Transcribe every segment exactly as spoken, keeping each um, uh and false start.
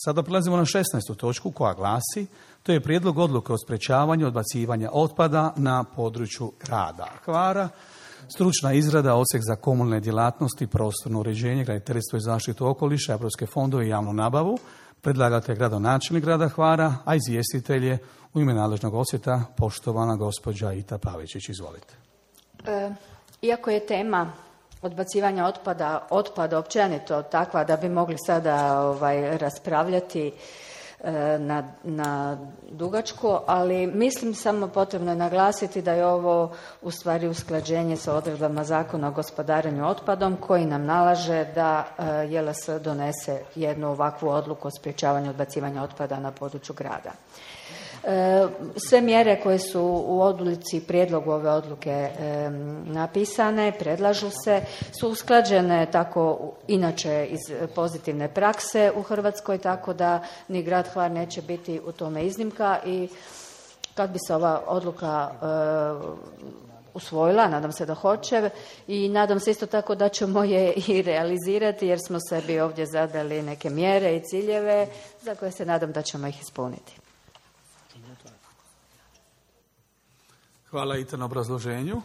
Sada prelazimo na šesnaestu točku koja glasi, to je prijedlog odluke o sprečavanju odbacivanja otpada na području grada Hvara. Stručna izrada, odsjek za komunalne djelatnosti, prostorno uređenje, graditeljstvo i zaštitu okoliša, europske fondove i javnu nabavu. Predlagatelj gradonačelnik grada Hvara, a izvjestitelj je u ime nadležnog odsjeta poštovana gospođa Ita Pavičić. Izvolite. E, iako je tema odbacivanja otpada, otpada općenito takva da bi mogli sada ovaj, raspravljati e, na, na dugačku, ali mislim samo potrebno je naglasiti da je ovo u stvari usklađenje sa odredbama Zakona o gospodarenju otpadom koji nam nalaže da e, J L S donese jednu ovakvu odluku o sprječavanju odbacivanja otpada na području grada. Sve mjere koje su u odluci, prijedlogu ove odluke e, napisane, predlažu se, su usklađene tako inače iz pozitivne prakse u Hrvatskoj, tako da ni grad Hvar neće biti u tome iznimka i kad bi se ova odluka e, usvojila, nadam se da hoće i nadam se isto tako da ćemo je i realizirati jer smo sebi ovdje zadali neke mjere i ciljeve za koje se nadam da ćemo ih ispuniti. Hvala Ita na obrazloženju.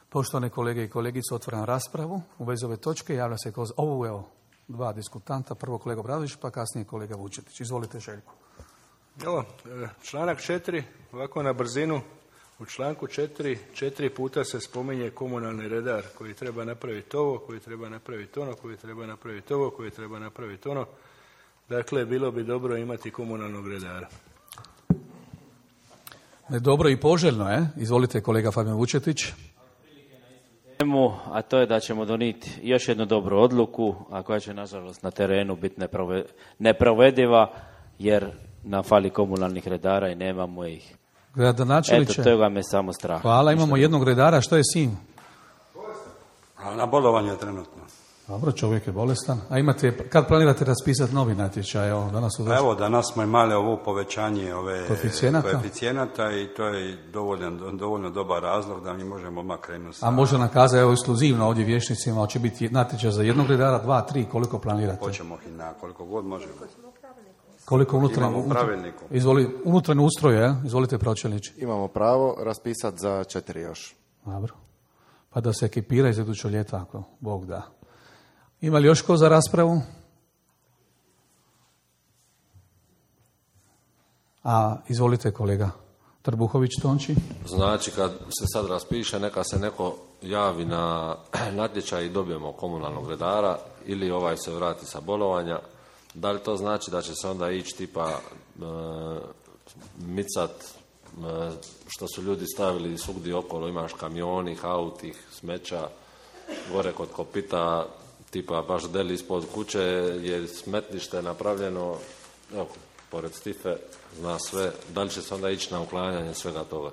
Poštovane kolege i kolegice, otvaram raspravu. U vezi ove točke javlja se kroz ovu evo dva diskutanta. Prvo kolega Obradović, pa kasnije kolega Vučetić. Izvolite, Željko. Evo, članak četiri, ovako na brzinu. U članku četiri, četiri puta se spominje komunalni redar koji treba napraviti ovo, koji treba napraviti ono, koji treba napraviti ovo, koji treba napraviti ono. Dakle, bilo bi dobro imati komunalnog redara. Dobro i poželjno je. Izvolite, kolega Fabijan Vučetić. A to je da ćemo donijeti još jednu dobru odluku, a koja će nažalost na terenu biti neprovediva, jer nam fali komunalnih redara i nemamo ih. Gradonačelniče. Eto, toga me samo strah. Hvala, imamo jednog redara. Što je s njim? Na bolovanju je trenutno. Dobro, čovjek je bolestan. A imate, kad planirate raspisati novi natječaj? Evo, danas, Evo, danas smo imali ovo povećanje ove koeficijenata, koeficijenata i to je dovoljno, dovoljno dobar razlog da mi možemo odmah krenuti. A može nam kazati, evo, ekskluzivno ovdje vječnicima, hoće biti natječaj za jednog redara, dva, tri, koliko planirate? Hoćemo i na koliko god možemo. Koliko unutarnje, imamo pravilniku. Izvoli, unutarnje ustroje, izvolite pročelniče. Imamo pravo raspisati za četiri još. Dobro. Pa da se ekipira iz idućeg ljeta, ako Bog da. Ima li još ko za raspravu? A, izvolite kolega Trbuhović Tonči. Znači, kad se sad raspiše, neka se neko javi na natječaj i dobijemo komunalnog redara ili ovaj se vrati sa bolovanja. Da li to znači da će se onda ići tipa e, micat e, što su ljudi stavili svugdje okolo, imaš kamioni, autih, smeća, gore kod kopita, tipa baš deli ispod kuće je smetlište napravljeno, evo, pored Stife, zna sve, da li će se onda ići na uklanjanje svega toga?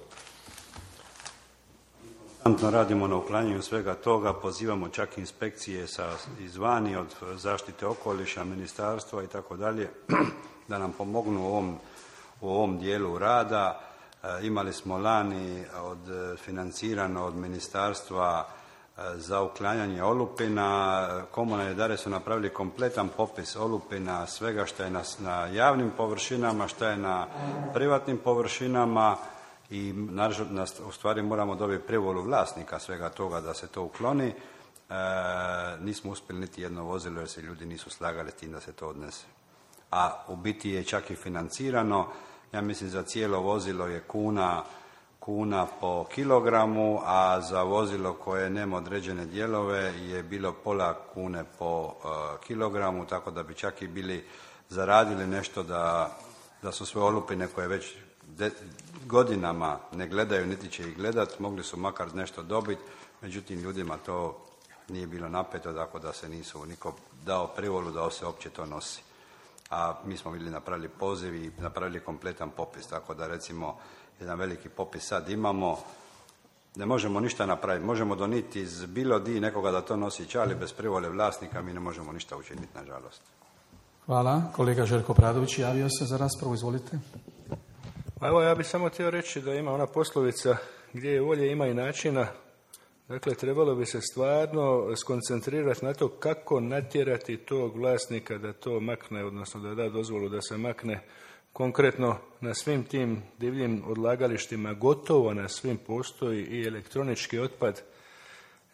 Radimo na uklanjanju svega toga, pozivamo čak inspekcije sa izvani od zaštite okoliša, ministarstva i tako dalje, da nam pomognu u ovom, u ovom dijelu rada. E, imali smo lani od financirano od ministarstva za uklanjanje olupina. Komunalni redari su napravili kompletan popis olupina, svega što je na, na javnim površinama, što je na privatnim površinama i naravno, u stvari moramo dobiti privolu vlasnika svega toga da se to ukloni. E, nismo uspjeli niti jedno vozilo jer se ljudi nisu slagali s tim da se to odnese. A u biti je čak i financirano, ja mislim za cijelo vozilo je kuna kuna po kilogramu, a za vozilo koje nema određene dijelove je bilo pola kune po uh, kilogramu, tako da bi čak i bili zaradili nešto da, da su sve olupine koje već de, godinama ne gledaju, niti će ih gledat, mogli su makar nešto dobiti, međutim ljudima to nije bilo napeto, tako da se nisu niko dao privolu da se uopće to nosi. A mi smo bili napravili poziv i napravili kompletan popis, tako da recimo jedan veliki popis sad imamo, ne možemo ništa napraviti, možemo doniti iz bilo di nekoga da to nosi čali, bez privole vlasnika mi ne možemo ništa učiniti, nažalost. Hvala. Kolega Željko Pradović javio se za raspravu, izvolite. Pa evo, ja bih samo htio reći da ima ona poslovica gdje je volje ima i načina, Dakle, trebalo bi se stvarno skoncentrirati na to kako natjerati tog vlasnika da to makne, odnosno da da dozvolu da se makne. Konkretno na svim tim divljim odlagalištima, gotovo na svim postoji i elektronički otpad.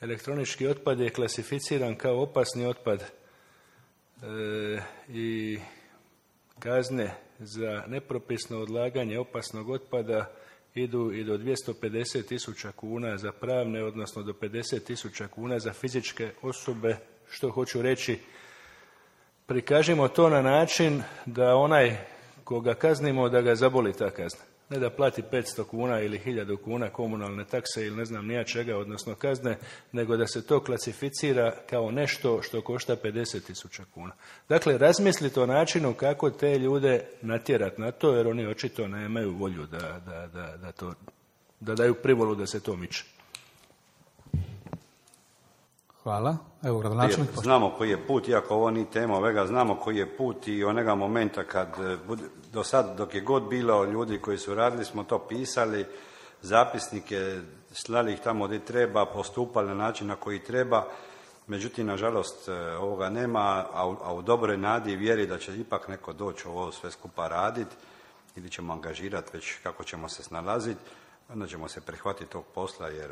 Elektronički otpad je klasificiran kao opasni otpad e, i kazne za nepropisno odlaganje opasnog otpada idu i do dvjesto pedeset tisuća kuna za pravne, odnosno do pedeset tisuća kuna za fizičke osobe. Što hoću reći, prikažimo to na način da onaj koga kaznimo, da ga zaboli ta kazna. Ne da plati petsto kuna ili hiljadu kuna komunalne takse ili ne znam nija čega, odnosno kazne, nego da se to klasificira kao nešto što košta pedeset tisuća kuna. Dakle, razmislite o načinu kako te ljude natjerati na to, jer oni očito nemaju volju da, da, da, da, to, da daju privolu da se to miče. Hvala. Evo, gradonačelnik. Znamo koji je put, iako ovo nije tema ovega, znamo koji je put i onega momenta kad, do sad dok je god bilo ljudi koji su radili, smo to pisali, zapisnike, slali ih tamo gdje treba, postupali na način na koji treba, međutim, nažalost, ovoga nema, a u, a u dobroj nadi i vjeri da će ipak neko doći ovo sve skupa raditi, ili ćemo angažirati već kako ćemo se snalaziti, onda ćemo se prihvatiti tog posla, jer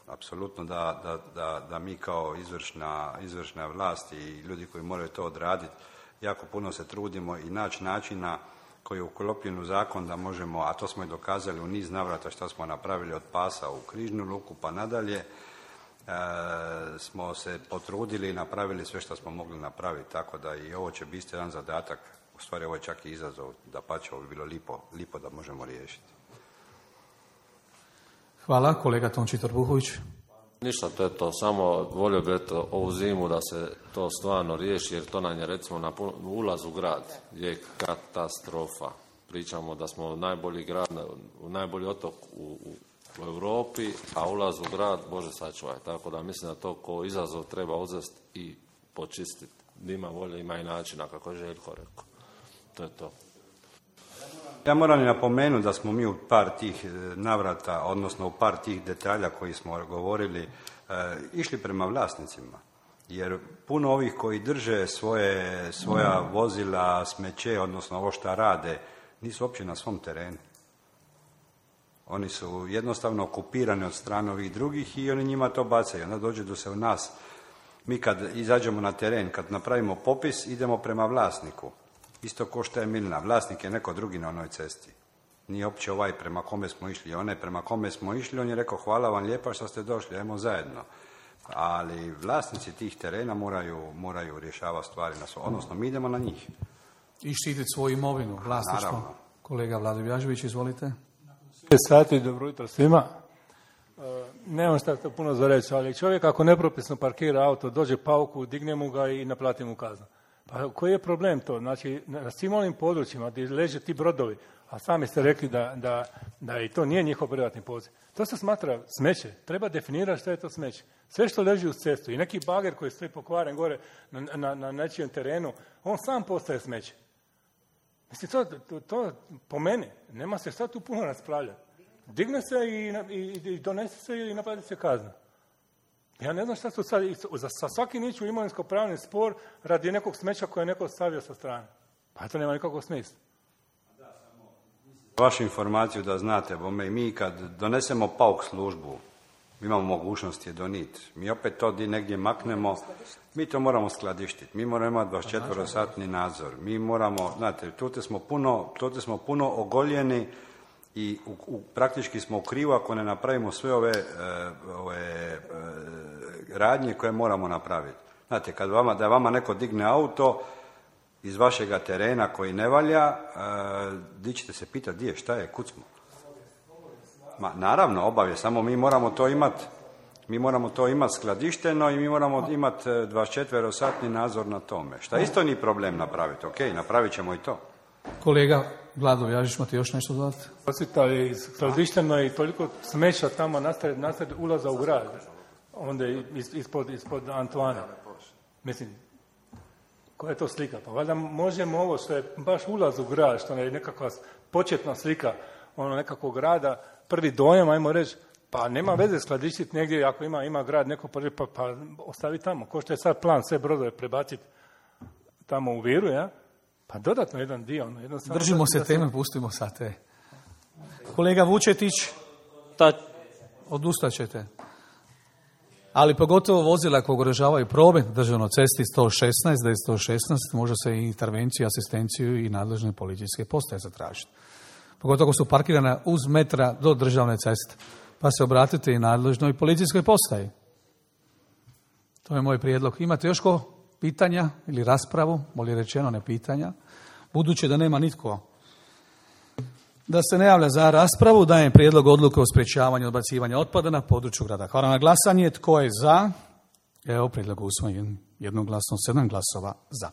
apsolutno da, da, da, da mi kao izvršna, izvršna vlast i ljudi koji moraju to odraditi, jako puno se trudimo i naći načina koji je uklopljen u zakon da možemo, a to smo i dokazali u niz navrata što smo napravili od Pasa u Križnu luku pa nadalje, e, smo se potrudili i napravili sve što smo mogli napraviti, tako da i ovo će biti jedan zadatak, u stvari ovo je čak i izazov, da pa će ovo bi bilo lipo, lipo da možemo riješiti. Hvala. Kolega Tonči Trbuhović. Ništa, to je to. Samo volio bi eto, ovu zimu da se to stvarno riješi, jer to nam je recimo na ulaz u grad je katastrofa. Pričamo da smo najbolji grad, najbolji otok u, u Europi, a ulaz u grad, Bože sačuvaj. Tako da mislim da to ko izazov treba uzeti i počistiti. Ima volje, ima i načina, kako je Željko rekao. To je to. Ja moram i napomenuti da smo mi u par tih navrata, odnosno u par tih detalja koji smo govorili, e, išli prema vlasnicima. Jer puno ovih koji drže svoje, svoja vozila, smeće, odnosno ovo šta rade, nisu uopće na svom terenu. Oni su jednostavno okupirani od strane ovih drugih i oni njima to bacaju. Onda dođe do se u nas. Mi kad izađemo na teren, kad napravimo popis, idemo prema vlasniku. Isto ko što je Milna. Vlasnik je neko drugi na onoj cesti. Nije uopće ovaj prema kome smo išli. Onaj prema kome smo išli, on je rekao hvala vam lijepa što ste došli, ajmo zajedno. Ali vlasnici tih terena moraju, moraju rješavati stvari na svoj, odnosno mi idemo na njih. I štititi svoju imovinu, vlasništvo. Naravno. Kolega Vlado Vjažević, izvolite. šest sati, dobro jutro svima. Nemam šta to puno za reći, ali čovjek ako nepropisno parkira auto, dođe pauku, digne mu ga i naplati mu kaznu. Pa koji je problem to? Znači, na svim onim područjima gdje leže ti brodovi, a sami ste rekli da, da, da i to nije njihov privatni poziv. To se smatra smeće. Treba definirati što je to smeće. Sve što leži uz cestu i neki bager koji stoji pokvaren gore na, na, na nečijem terenu, on sam postaje smeće. Mislim, to, to, to po meni, nema se šta tu puno raspravljati. Digne se i, i, i donese se i naplati se kazna. Ja ne znam šta su sad, sa svaki niću imovinsko-pravni spor radi nekog smeća koje je neko stavio sa strane. Pa to nema nikakvog smisla. Vašu informaciju da znate, bome, mi kad donesemo pauk službu, imamo mogućnost je doniti. Mi opet to di negdje maknemo, mi to moramo skladištiti. Mi moramo imati dvadesetčetverosatni nadzor. Mi moramo, znate, tu smo puno, tu smo puno ogoljeni i u, u, praktički smo u krivu ako ne napravimo sve ove, ove radnje koje moramo napraviti. Znate, kad vama, da vama neko digne auto iz vašega terena koji ne valja, di ćete se pitati gdje je, šta je, kud smo? Ma, naravno, obavijest, samo mi moramo to imati, mi moramo to imati skladišteno i mi moramo imati dvadesetčetverosatni nadzor na tome. Šta isto nije problem napraviti, ok, napravit ćemo i to. Kolega Vlado Vjažić, imate još nešto dodati? Osvita je skladišteno i toliko smeća tamo nastaje, nastaje ulaza u grad, onda ispod, ispod Antoana. Mislim, koja je to slika? Pa valjda možemo ovo što je baš ulaz u grad, što je nekakva početna slika ono nekakvog grada, prvi dojam, ajmo reći, Pa nema veze skladištiti negdje, ako ima, ima grad neko područje, pa, pa ostavi tamo. Ko što je sad plan sve brodove prebaciti tamo u Viru, ja? Pa dodatno jedan dio. Ono, jednostavno Držimo se teme, pustimo sad te. Kolega Vučetić, Ta, odustat ćete. Ali pogotovo vozila koje ugrožavaju promet državnoj cesti sto šesnaest, devetsto šesnaest, može se i intervenciju, asistenciju i nadležne policijske postaje zatražiti. Pogotovo ako su parkirane uz metra do državne ceste. Pa se obratite i nadležnoj policijskoj postaji. To je moj prijedlog. Imate još ko pitanja ili raspravu, bolje rečeno ne pitanja, budući da nema nitko da se ne javlja za raspravu, dajem prijedlog odluke o sprječavanju odbacivanja otpada na području grada Hvara na glasanje. Tko je za? Evo, prijedlog usvojen jednoglasno, sedam glasova za.